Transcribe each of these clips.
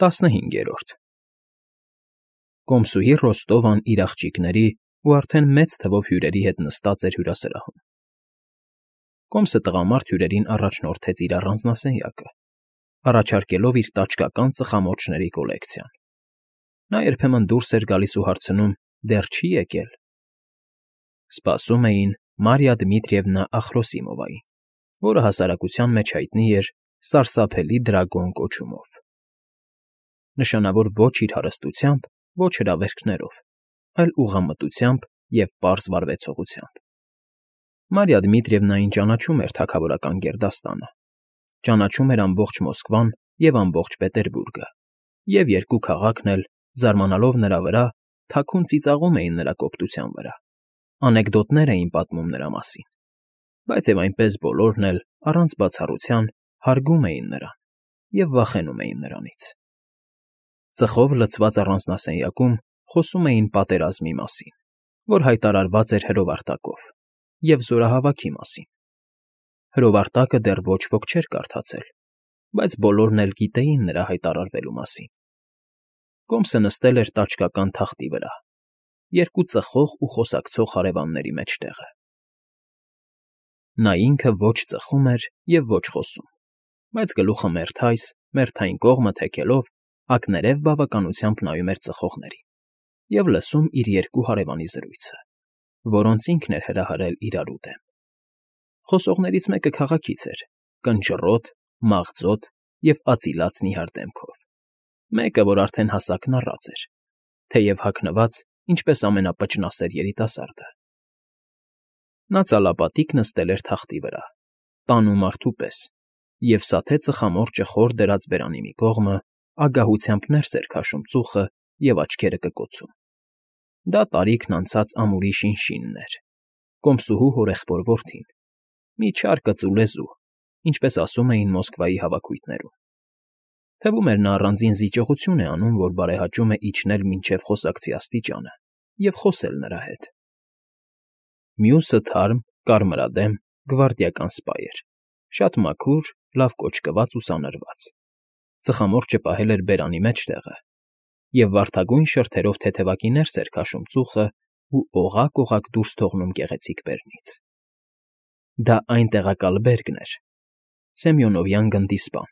15 Կոմսուհի Ռոստովան իր աղջիկների ու արդեն մեծ թվով հյուրերի հետ նստած էր հյուրասրահում։ Կոմսը տղամարդ հյուրերին առաջնորդեց իր առանձնասենյակը, առաջարկելով իր տաճկական ծխամորճների կոլեկցիան։ Նա երբեմն դուրս էր գալիս ու հարցնում. դեռ չի՞ եկել։ Սպասում էին Մարիա Դմիտրիևնա Ախրոսիմովային, որը հասարակության մեջ հայտնի էր սարսափելի դրագոն կոչումով։ Նշանավոր ոչ իր հարստությամբ, ոչ հրավերքներով, այլ ուղղամտությամբ և պարզ վարվեցողությամբ։ Մարիա Դմիտրիևնային ճանաչում էր թագավորական գերդաստանը, ճանաչում էր ամբողջ Մոսկվան և ամբողջ Պետերբուրգը, և երկու քաղաքն էլ, զարմանալով նրա վրա, թաքուն ծիծաղում էին նրա կոպտության վրա, անեկդոտներ էին պատմում նրա մասին, բայց և այնպես բոլորն էլ, առանց բացառության, հարգում էին նրան և վախենում էին նրանից։ Ծխով լցված առանձնասենյակում խոսում էին պատերազմի մասին, որ հայտարարված էր հրովարտակով, և զորահավաքի մասին։ Հրովարտակը դեռ ոչ ոք չէր կարդացել, բայց բոլորն էլ գիտեին նրա հայտարարվելու մասին։ Կոմսը նստել էր տաճկական թախտի վրա, երկու ծխող ու խոսակցող հարևանների մեջտեղը։ Նա ինքը ոչ ծխում էր և ոչ խոսում, բայց գլուխը մերթային կողմը թեքելով, ակներև բավականությամբ նայում էր ծխողներին և լսում իր երկու հարևանի զրույցը, որոնց ինքն էր հրահրել իրարու դեմ։ Խոսողներից մեկը քաղաքից էր, կնճռոտ, մաղձոտ և ածիլած նիհար դեմքով, մեկը, որ արդեն հասակն առած էր, թեև հագնված, ինչպես ամենապճնասեր երիտասարդը։ Նա ծալապատիկ նստել էր թախտի վրա, տանու մարդու պես, և սաթե ծխամորճը խոր դրած բերանի մի կողմը ագահությամբ ներս էր քաշում ծուխը և աչքերը կկոցում։ Դա տարիքն անցած ամուրի Շինշինն էր, Կոմսուհու հորեղբոր որդին, մի չար կծու լեզու, ինչպես ասում էին Մոսկվայի հավաքույթներում։ Թվում էր նա առանձին զիջողություն է անում, որ բարեհաճում է իջնել մինչև խոսակցի աստիճանը և խոսել նրա հետ։ Մյուսը թարմ, կարմրադեմ, գվարդիական սպա էր, շատ մաքուր, լավ կոճկված ու սանրված։ Ծխամորճը պահել էր բերանի մեջտեղը և վարդագույն շրթերով թեթևակի ներս էր քաշում ծուխը ու օղակ֊օղակ դուրս թողնում գեղեցիկ բերնից։ Դա այն տեղակալ բերգն էր, Սեմյոնովյան գնդի սպան,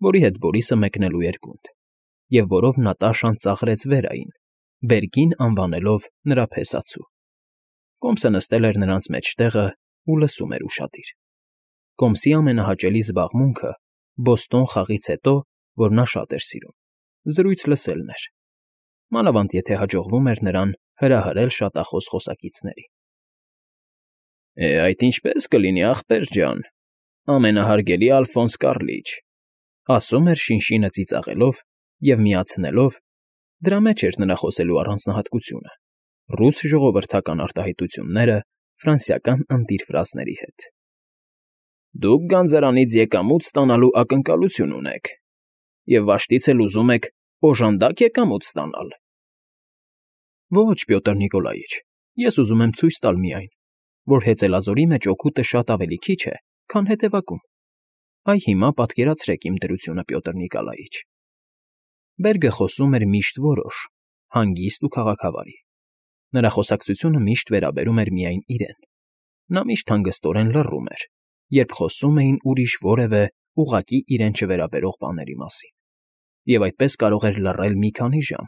որի հետ Բորիսը մեկնելու էր գունդ, և որով Նատաշան ծաղրեց վերային, բերգին անվանելով նրա փեսացու։ Կոմսը նստել էր նրանց մեջտեղը ու լսում էր ուշադիր։ Կոմսի ամենահաճելի զբաղմունքը Բոստոն խաղից հետո, որ նա շատ էր սիրում, զրույց լսելն էր, մանավանդ եթե հաջողվում էր նրան հրահրել շատախոս խոսակիցներին։ Այդ ինչպե՞ս կլինի, ախպեր ջան, ամենահարգելի Ալֆոնս Կառլիչ, ասում էր Շինշինը ծիծաղելով և միացնելով (դրա մեջ էր նրա խոսելու առանձնահատկությունը) ռուս ժողովրդական արտահայտությունները ֆրանսիական ընտիր ֆրազների հետ։ Դուք գանձարանից եկամուտ ստանալու ակնկալություն ունեք և վաշտից էլ ուզում եք օժանդակ եկամուտ ստանալ։ Ոչ, Պյոտր Նիկոլաիչ, ես ուզում եմ ցույց տալ միայն, որ հեծելազորի մեջ օգուտը շատ ավելի քիչ է, քան հետևակում։ Այ հիմա պատկերացրեք իմ դրությունը, Պյոտր Նիկոլաիչ։ Բերգը խոսում էր միշտ որոշ, հանգիստ ու քաղաքավարի։ Նրա խոսակցությունը միշտ վերաբերում էր միայն իրեն։ Նա միշտ հանգստորեն լռում էր, երբ խոսում էին ուրիշ որևէ ուղղակի իրեն չվերաբերող բաների մասին, և այդպես կարող էր լռել մի քանի ժամ,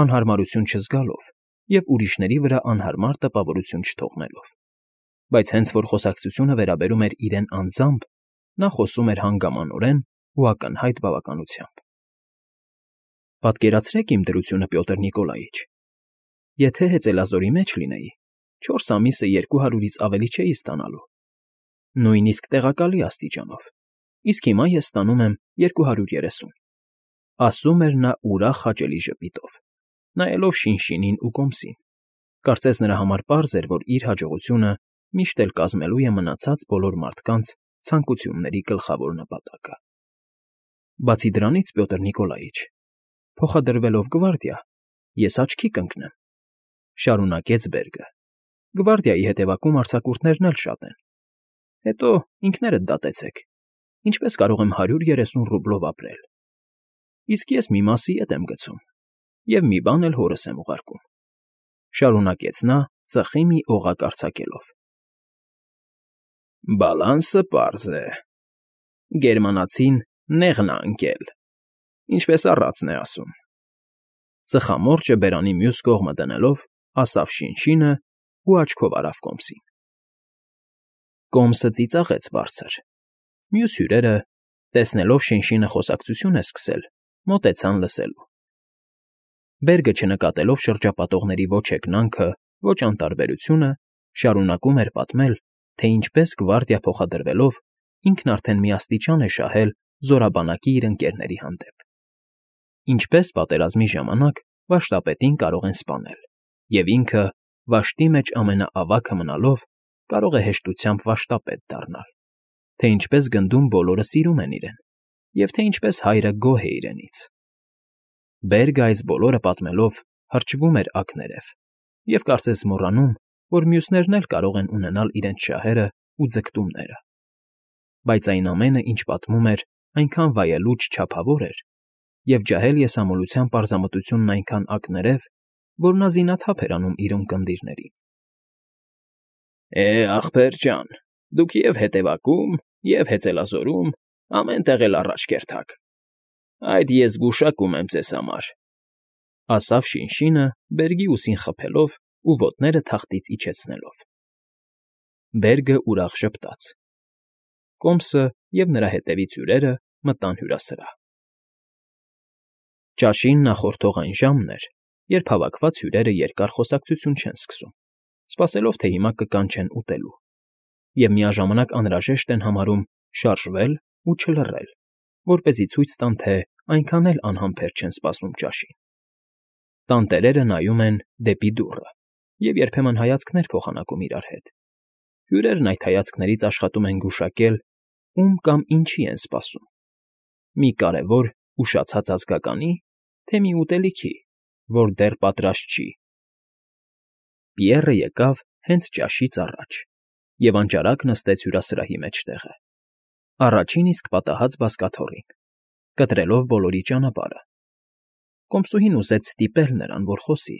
անհարմարություն չզգալով և ուրիշների վրա անհարմար տպավորություն չթողնելով։ Բայց հենց որ խոսակցությունը վերաբերում էր իրեն անձամբ, նա խոսում էր հանգամանորեն ու ակնհայտ բավականությամբ։ Պատկերացրեք իմ դրությունը, Պյոտր Նիկոլաիչ։ Եթե հեծելազորի մեջ լինեի, 4 ամիսը 200-ից ավելի չէի ստանալու, նույնիսկ տեղակալի աստիճանով, իսկ հիմա ես ստանում եմ 230, ասում էր նա ուրախ հաճելի ժպիտով, նայելով Շինշինին ու Կոմսին։ Կարծես նրա համար պարզ էր, որ իր հաջողությունը միշտ էլ կազմելու է մնացած բոլոր մարդկանց ցանկությունների գլխավոր նպատակը։ Բացի դրանից, Պյոտր Նիկոլաիչ, փոխադրվելով գվարդիա, ես աչքի կընկնեմ, շարունակեց Բերգը։ Գվարդիայի հետևակում արձակուրդներն էլ շատ են։ Հետո ինքներդ դատեցեք, ինչպես կարող եմ 130 ռուբլով ապրել։ իսկ ես մի մասի ետ եմ գցում և մի բան էլ հորս եմ ուղարկում,֊ շարունակեց նա՝ ծխի մի օղակ արձակելով։ «Բալանսը պարզ է. գերմանացին նեղն ա ընկել, ինչպես առածն է ասում,֊ ծխամորճը բերանի մյուս կողմը դնելով, ասավ Շինշինը ու աչքով արավ Կոմսին։ Կոմսը ծիծաղեց բարձր։ Մյուս հյուրերը, տեսնելով Շինշինը խոսակցություն է սկսել, մոտեցան լսելու։ Բերգը, չնկատելով շրջապատողների ոչ հեգնանքը, ոչ անտարբերությունը, շարունակում էր պատմել, թե ինչպես գվարդիա փոխադրվելով ինքն արդեն միաստիճան է շահել զորաբանակի իր ընկերների հանդեպ։ Ինչպես պատերազմի ժամանակ վշտապետին կարող են սպանել, և ինքը, վաշտի մեջ ամենաավագը մնալով, կարող է հեշտությամբ վշտապետ դառնալ, թե ինչպես գնդում բոլորը սիրում են իրեն, և թե ինչպես հայրը գոհ է իրենից։ Բերգը այս բոլորը պատմելով հրճվում էր ակներև և կարծես մոռանում, որ մյուսներն էլ կարող են ունենալ իրենց շահերը ու ձգտումները։ Բայց այն ամենը, ինչ պատմում էր, այնքան վայելուչ չափավոր էր, և ջահել եսամոլության պարզամտությունն այնքան ակներև, որ նա զինաթափ էր անում իր ունկնդիրներին։ Ախպեր ջան, դուք և հետևակում, և հեծելազորում, ամեն տեղ էլ առաջ կերթաք։ Այդ ես գուշակում եմ ձեզ համար,֊ ասավ Շինշինը, Բերգի ուսին խփելով ու ոտները թախտից իջեցնելով։ Բերգը ուրախ ժպտաց։ Կոմսը և նրա հետևից հյուրերը մտան հյուրասրահ։ Ճաշին նախորդող այն ժամն էր, երբ հավաքված հյուրերը երկար խոսակցություն չեն սկսում, սպասելով, թե հիմա կկանչեն ուտելու, և միաժամանակ անհրաժեշտ են համարում շարժվել ու չլռել, որպեսզի ցույց տան, թե այնքան էլ անհամբեր չեն սպասում ճաշին։ Տանտերերը նայում են դեպի դուռը և երբեմն հայացքներ փոխանակում իրար հետ։ Հյուրերն այդ հայացքներից աշխատում են գուշակել, ում կամ ինչի են սպասում՝ մի կարևոր, ուշացած ազգականի, թե մի ուտելիքի, որ դեռ պատրաստ չի։ Պիեռը եկավ հենց ճաշից առաջ և անճարակ նստեց հյուրասրահի մեջտեղը, առաջին իսկ պատահած բազկաթոռին, կտրելով բոլորի ճանապարհը։ Կոմսուհին ուզեց ստիպել նրան, որ խոսի,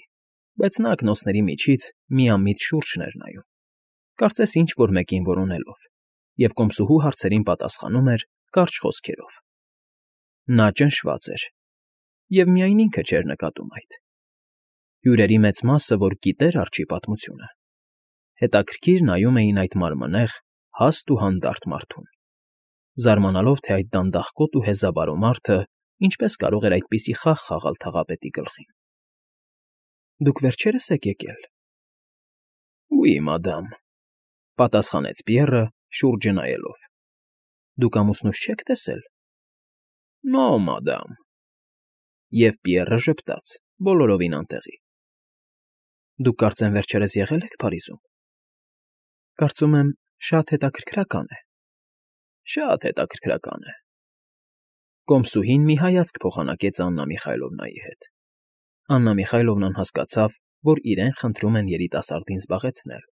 բայց նա ակնոցների միջից միամիտ շուրջն էր նայում, կարծես ինչ֊որ մեկին որոնելով, և կոմսուհու հարցերին պատասխանում էր կարճ խոսքերով։ Նա ճնշված էր, և միայն ինքը չէր նկատում այդ։ Հյուրերի մեծ մասը, որ գիտեր արջի պատմությունը, հետաքրքիր նայում էին այդ մարմնեղ, հաստ ու հանդարտ մարդուն, զարմանալով, թե այդ դանդաղկոտ ու հեզավարո մարդը ինչպես կարող էր այդպիսի խաղ խաղալ թաղապետի գլխին։ Դուք վերջերս եք եկել։ Oui, madame,֊ պատասխանեց Պիեռը՝ շուրջը նայելով։ Դուք ամուսնուս չեք տեսել։ Non, madame։ Եվ Պիեռը ժպտաց, բոլորովին անտեղի։ Դուք կարծեմ վերջերս եղել եք Փարիզում։ Կարծում եմ, շատ հետաքրքրական է։ Շատ հետաքրքրական է։ Կոմսուհին մի հայացք փոխանակեց Աննա Միխայլովնայի հետ։ Աննա Միխայլովնան հասկացավ, որ իրեն խնդրում են երիտասարդին զբաղեցնել,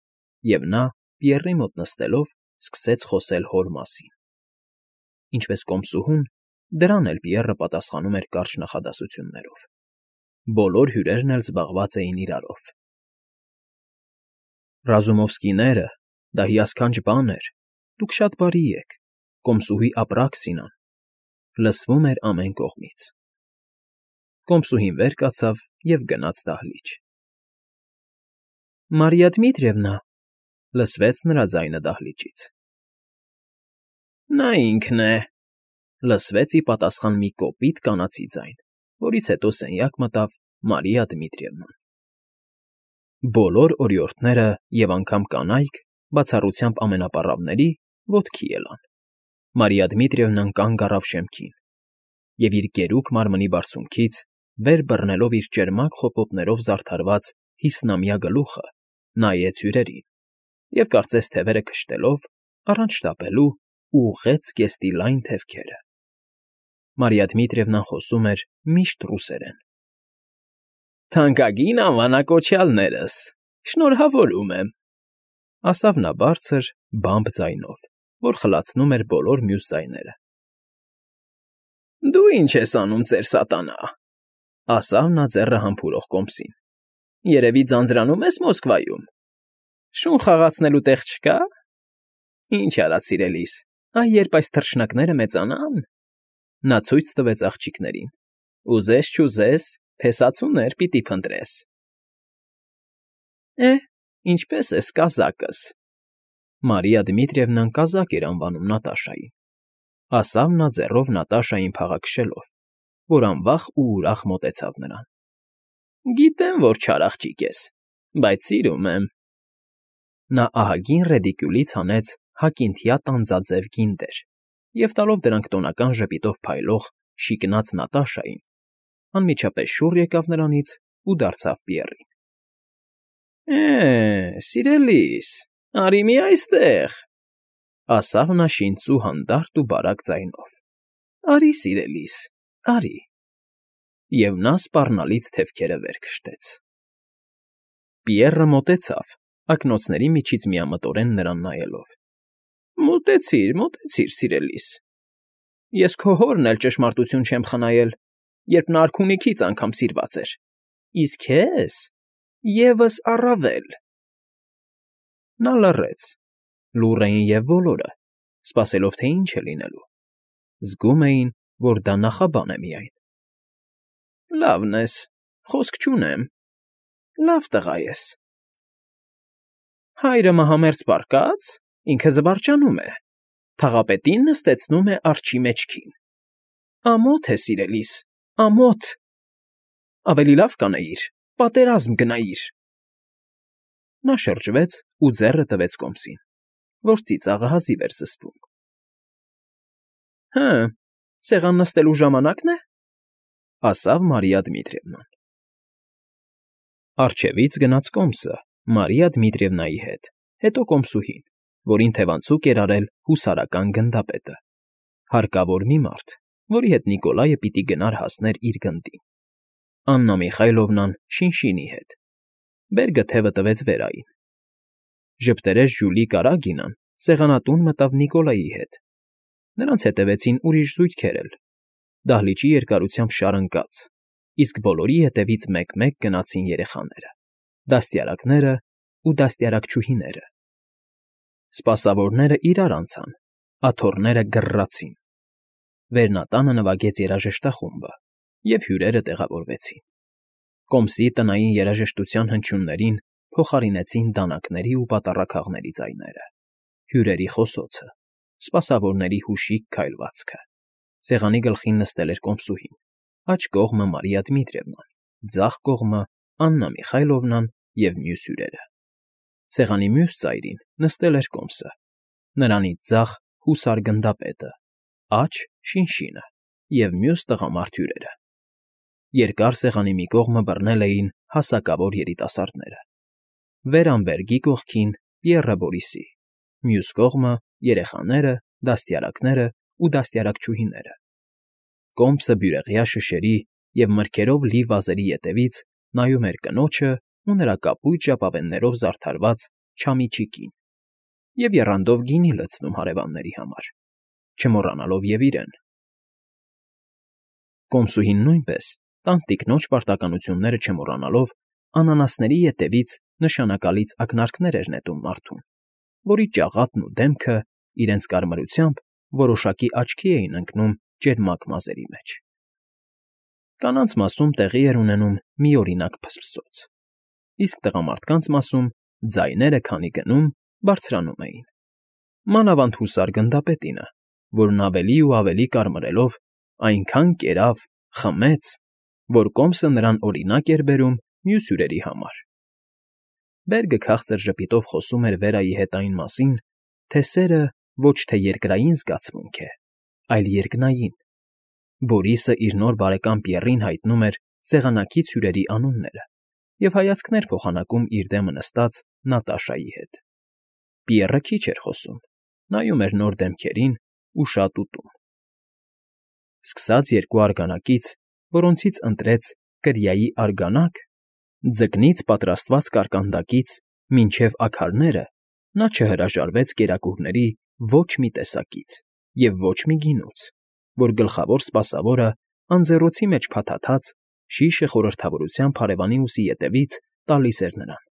և նա, Պիեռի մոտ նստելով, սկսեց խոսել հոր մասին։ Ինչպես կոմսուհուն, դրան էլ Պիեռը պատասխանում էր կարճ նախադասություններով։ Բոլոր հյուրերն էլ զբաղված էին իրարով։ Ռազումովսկիները, դա հիասքանչ բան էր, դուք շատ բարի եք, կոմսուհի Ապրաքսինան, լսվում էր ամեն կողմից։ Կոմսուհին վեր կացավ և գնաց դահլիճ։ Մարիա Դմիտրիևնա,֊ լսվեց նրա ձայնը դահլիճից։ Նա ինքն է,֊ լսվեց ի պատասխան մի կոպիտ կանացի ձայն, որից հետո սենյակ մտավ Մարիա Դմիտրիևնան։ Բոլոր օրիորդները և անգամ կանայք, բացառությամբ ամենապառավների, ոտքի ելան։ Մարիա Դմիտրիևնան կանգ առավ շեմքին և իր գերուկ մարմնի բարձունքից, վեր բռնելով իր ճերմակ խոպոպներով զարդարված հիսնամյա գլուխը, նայեց հյուրերին և, կարծես թևերը քշտելով, առանց շտապելու, ուղղեց զգեստի լայն թևքերը։ Մարիա Դմիտրիևնան խոսում էր միշտ ռուսերեն։ Թանկագին անվանակոչյալներս, շնորհավորում եմ,֊ ասավ նա բարձր, բամբ ձայնով, որ խլացնում էր բոլոր մյուս ձայները։ Դու ինչ ես անում, ծեր սատանա,֊ ասավ նա ձեռը համբուրող կոմսին։ Երևի ձանձրանում ես Մոսկվայում։ Շուն խաղացնելու տեղ չկա՞։ Ինչ արած, սիրելիս, երբ այս թռչնակները մեծանան… Նա ցույց տվեց աղջիկներին։ Ուզես-չուզես, փեսացուներ պիտի փնտրես։ Ինչպես ես կազակս։ Մարիա Դմիտրիևնան կազակ էր անվանում Նատաշային, ասավ նա ձեռով Նատաշային փաղաքշելով, որ անվախ ու ուրախ մոտեցավ նրան։ Գիտեմ, որ չար աղջիկ ես, բայց սիրում եմ։ Նա ահագին ռեդիկյուլից հանեց հակինթյա տանձաձև գինդեր և տալով դրանք տոնական ժպիտով փայլող, շիկնած Նատաշային, անմիջապես շուռ եկավ նրանից ու դարձավ Պիեռին։ Սիրելիս, արի մի այստեղ,֊ ասավ նա շինծու հանդարտ ու բարակ ձայնով։ Արի, սիրելիս, արի։ Եվ նա սպառնալից թևքերը վեր քշտեց։ Պիեռը մոտեցավ, ակնոցների միջից միամտորեն նրան նայելով։ Մոտեցիր, սիրելիս։ Ես քո հորն էլ ճշմարտություն չեմ խնայել, երբ նա արքունիքից անգամ սիրված էր, իսկ քեզ ևս առավել։ Նա լռեց, լուռ էին և բոլորը, սպասելով, թե ինչ է լինելու։ Զգում էին, որ դա նախաբան է միայն։ Լավն ես, խոսք չունեմ, լավ տղա ես։ Հայրը մահամերձ պառկած, ինքը զվարճանում է, թաղապետին նստեցնում է արջի մեջքին։ Ամոթ է, սիրելիս, ամոթ։ Ավելի լավ կանեիր, պատերազմ գնայիր։ Նա շրջվեց ու ձեռը տվեց կոմսին, որ ծիծաղը հազիվ էր զսպում։ Սեղան նստելու ժամանակն է,֊ ասավ Մարիա Դմիտրիևնան։ Առջևից գնաց կոմսը Մարիա Դմիտրիևնայի հետ, հետո կոմսուհին, որին թևանցուկ էր արել հուսարական գնդապետը, հարկավոր մի մարդ, որի հետ Նիկոլայը պիտի գնար հասներ իր գնդին։ Աննա Միխայլովնան Շինշինի հետ։ Բերգը թևը տվեց Վերային։ Ժպտերես Ժյուլի Կարագինան սեղանատուն մտավ Նիկոլայի հետ։ Նրանց հետևեցին ուրիշ զույգեր էլ, դահլիճի երկարությամբ շարընկած, իսկ բոլորի հետևից մեկ֊մեկ գնացին երեխաները, դաստիարակները ու դաստիարակչուհիները։ Սպասավորները իրար անցան, աթոռները գռռացին։ Վերնատանը նվագեց երաժշտախումբը, և հյուրերը տեղավորվեցին։ Կոմսի տնային երաժշտության հնչյուններին փոխարինեցին դանակների ու պատառաքաղների ձայները, հյուրերի խոսոցը, սպասավորների հուշիկ քայլվածքը։ Սեղանի գլխին նստել էր կոմսուհին, աջ կողմը Մարիա Դմիտրիևնան, ձախ կողմը Աննա Միխայլովնան և մյուս հյուրերը։ Սեղանի մյուս ծայրին նստել էր կոմսը, նրանից ձախ հուսար գնդապետը, աջ Շինշինը և մյուս տղամարդ հյուրերը։ Երկար սեղանի մի կողմը բռնել էին հասակավոր երիտասարդները, Վերամբերգի կողքին Պիեռը Բորիսի, մյուս կողմը երեխաները, դաստիարակները ու դաստիարակչուհիները։ Կոմսը բյուրեղյա շշերի և մրգերով լի վազերի ետևից նայում էր կնոջը ու նրա կապույտ ժապավեններով զարդարված չամիչիկին և եռանդով գինի լցնում հարևանների համար, չմոռանալով և իրեն։ Կոմսուհին նույնպես, տանտիկնոջ պարտականությունները չմոռանալով, անանասների ետևից նշանակալից ակնարկներ էր նետում մարդուն, որի ճաղատն ու դեմքը իրենց կարմրությամբ որոշակի աչքի էին ընկնում ճերմակ մազերի մեջ։ Կանանց մասում տեղի էր ունենում մի օրինակ փսփսոց, իսկ տղամարդկանց մասում ձայները քանի գնում, բարձրանում էին։ Մանավանդ հուսար գնդապետինը, որն ավելի ու ավելի կարմրելով այնքան կերավ, խմեց, որ կոմսը նրան օրինակ էր բերում մյուս հյուրերի համար։ Բերգը քաղցր ժպիտով խոսում էր Վերայի հետ այն մասին, թե սերը ոչ թե երկրային զգացմունք է, այլ երկնային։ Բորիսը իր նոր բարեկամ Պիեռին հայտնում էր սեղանակից հյուրերի անունները և հայացքներ փոխանակում իր դեմը նստած Նատաշայի հետ։ Պիեռը քիչ էր խոսում, նայում էր նոր դեմքերին ու շատ ուտում։ Սկսած երկու արգանակից, որոնցից ընտրեց կրիայի արգանակ, ձկնից պատրաստված կարկանդակից մինչև աքարները, նա չհրաժարվեց կերակուրների ոչ մի տեսակից և ոչ մի գինուց, որ գլխավոր սպասավորը անձեռոցի մեջ փաթաթած, շիշը խորհրդավորությամբ հարևանի ուսի ետևից տալիս էր նրան,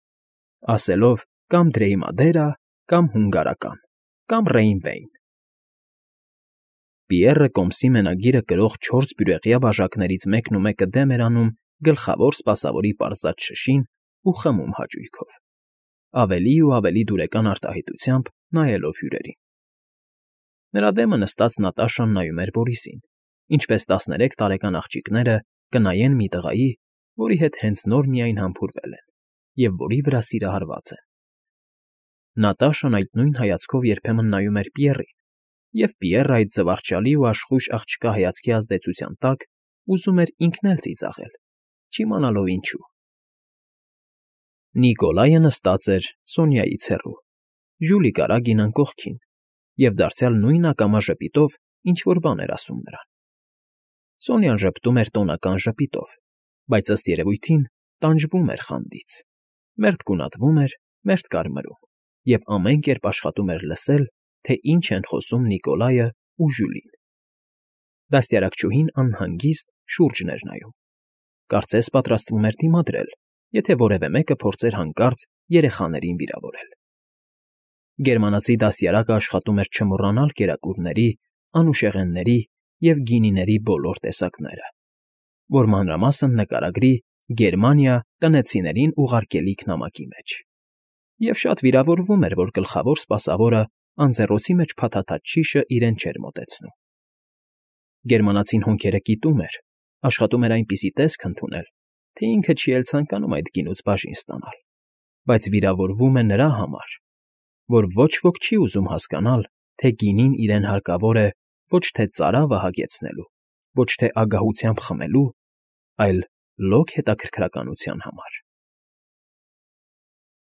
ասելով կամ Դրեյմադերա, կամ Հունգարական, կամ Ռեյնվեյն։ Պիեռը կոմսի մենագիրը կրող 4 բյուրեղյա բաժակներից մեկնումեկը դեմ էր անում գլխավոր սպասավորի պարզած շշին ու խմում հաճույքով, ավելի ու ավելի դուրեկան արտահայտությամբ նայելով հյուրերին։ Նրա դեմը նստած Նատաշան նայում էր Բորիսին, ինչպես 13 տարեկան աղջիկները կնայեն մի տղայի, որի հետ հենց նոր միայն համբուրվել են, և որի վրա սիրահարված են։ Նատաշան այդ նույն հայացքով երբեմն նայում էր Պիեռին, և Պիեռը այդ զվարճալի ու աշխույժ աղջկա հայացքի ազդեցության տակ ուզում էր ինքն էլ ծիծաղել, չիմանալով ինչու։ Նիկոլայը նստած էր Սոնյայից հեռու, Ժուլի կարագին կողքին, և դարձյալ նույն ակամա ժպիտով ինչ֊որ բան էր ասում նրան։ Սոնյան ժպտում էր տոնական ժպիտով, բայց ըստ երևույթին տանջվում էր խանդից, մերթ գունատվում էր, մերթ կարմրում, և ամեն կերպ աշխատում էր լսել, թե ինչ են խոսում Նիկոլայը ու Ժյուլին։ Դաստիարակչուհին անհանգիստ շուրջն էր նայում, կարծես պատրաստվում էր դիմադրել, եթե որևէ մեկը փորձեր հանկարծ երեխաներին վիրավորել։ Գերմանացի դաստիարակը աշխատում էր չմոռանալ կերակուրների, անուշեղենների և գինիների բոլոր տեսակները, որ մանրամասն նկարագրի Գերմանիա տնեցիներին ուղարկելիք նամակի մեջ, և շատ վիրավորվում էր, որ գլխավոր սպասավորը անձեռոցի մեջ փաթաթած շիշը իրեն չէր մոտեցնում։ Գերմանացին հոնքերը կիտում էր, աշխատում էր այնպիսի տեսք ընդունել, թե ինքը չի էլ ցանկանում այդ գինուց բաժին ստանալ, բայց վիրավորվում է նրա համար, որ ոչ ոք չի ուզում հասկանալ, թե գինին իրեն հարկավոր է ոչ թե ծարավը հագեցնելու, ոչ թե ագահությամբ խմելու, այլ լոկ հետաքրքրականության համար։